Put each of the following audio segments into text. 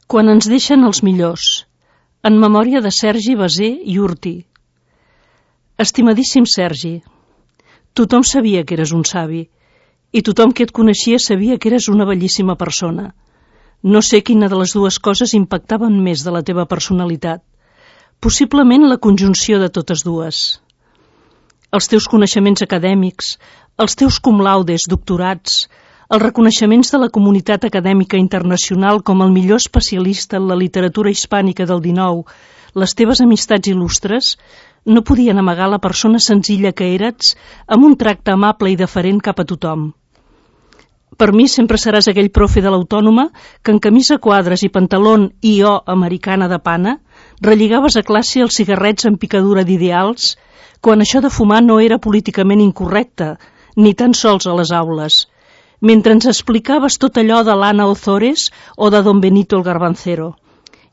Quan ens deixen els millors, en memòria de Sergi Basé i Urti. Estimadíssim Sergi, tothom sabia que eres un savi i tothom que et coneixia sabia que eres una bellíssima persona. No sé quina de les dues coses impactaven més de la teva personalitat. Possiblement la conjunció de totes dues. Els teus coneixements acadèmics, els teus cum laudes, doctorats, els reconeixements de la comunitat acadèmica internacional com el millor especialista en la literatura hispànica del XIX, les teves amistats il·lustres, no podien amagar la persona senzilla que eres amb un tracte amable i deferent cap a tothom. Per mi sempre seràs aquell profe de l'Autònoma que en camisa quadres i pantalón I.O. americana de pana relligaves a classe els cigarrets amb picadura d'ideals quan això de fumar no era políticament incorrecte, ni tan sols a les aules, mentre ens explicaves tot allò de l'Anna Ozores o de Don Benito el Garbancero,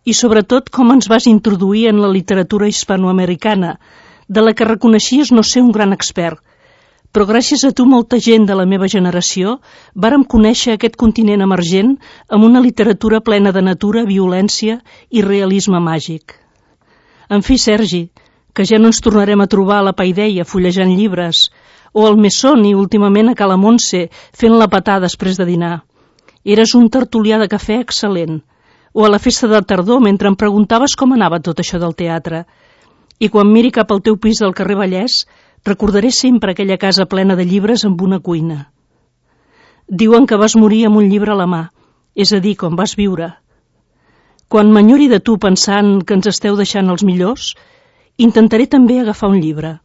i sobretot com ens vas introduir en la literatura hispanoamericana, de la que reconeixies no ser un gran expert, però gràcies a tu molta gent de la meva generació vàrem conèixer aquest continent emergent amb una literatura plena de natura, violència i realisme màgic. En fi, Sergi, que ja no ens tornarem a trobar a la Paideia fullejant llibres, o al Mesón i últimament a Cala Montse fent la patà després de dinar. Eres un tertulià de cafè excel·lent, o a la festa de tardor mentre em preguntaves com anava tot això del teatre. I quan miri cap al teu pis del carrer Vallès, recordaré sempre aquella casa plena de llibres amb una cuina. Diuen que vas morir amb un llibre a la mà, és a dir, com vas viure. Quan m'enyori de tu pensant que ens esteu deixant els millors, intentaré també agafar un llibre.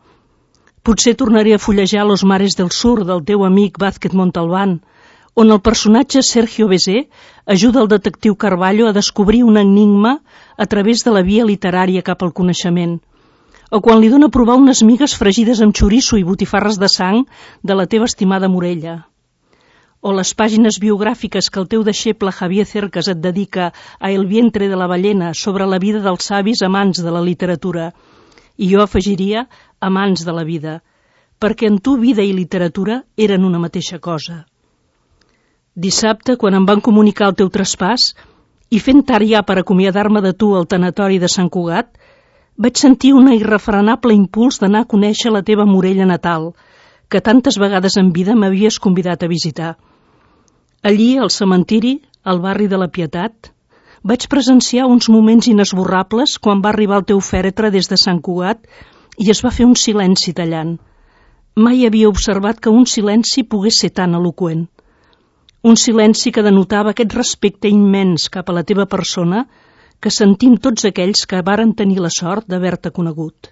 Potser tornaré a fullejar Los mares del sur del teu amic Vázquez Montalbán, on el personatge Sergio Basé ajuda el detectiu Carballo a descobrir un enigma a través de la via literària cap al coneixement, o quan li dona a provar unes migues fregides amb xoriço i botifarres de sang de la teva estimada Morella. O les pàgines biogràfiques que el teu deixeble Javier Cercas et dedica a El vientre de la ballena sobre la vida dels savis amants de la literatura. I jo afegiria amants de la vida, perquè en tu vida i literatura eren una mateixa cosa. Dissabte, quan em van comunicar el teu traspàs, i fent tard ja per acomiadar-me de tu al tanatori de Sant Cugat, vaig sentir un irrefrenable impuls d'anar a conèixer la teva Morella natal, que tantes vegades en vida m'havies convidat a visitar. Allí, al cementiri, al barri de la Pietat, vaig presenciar uns moments inesborrables quan va arribar el teu fèretre des de Sant Cugat i es va fer un silenci tallant. Mai havia observat que un silenci pogués ser tan eloqüent. Un silenci que denotava aquest respecte immens cap a la teva persona que sentim tots aquells que varen tenir la sort d'haver-te conegut.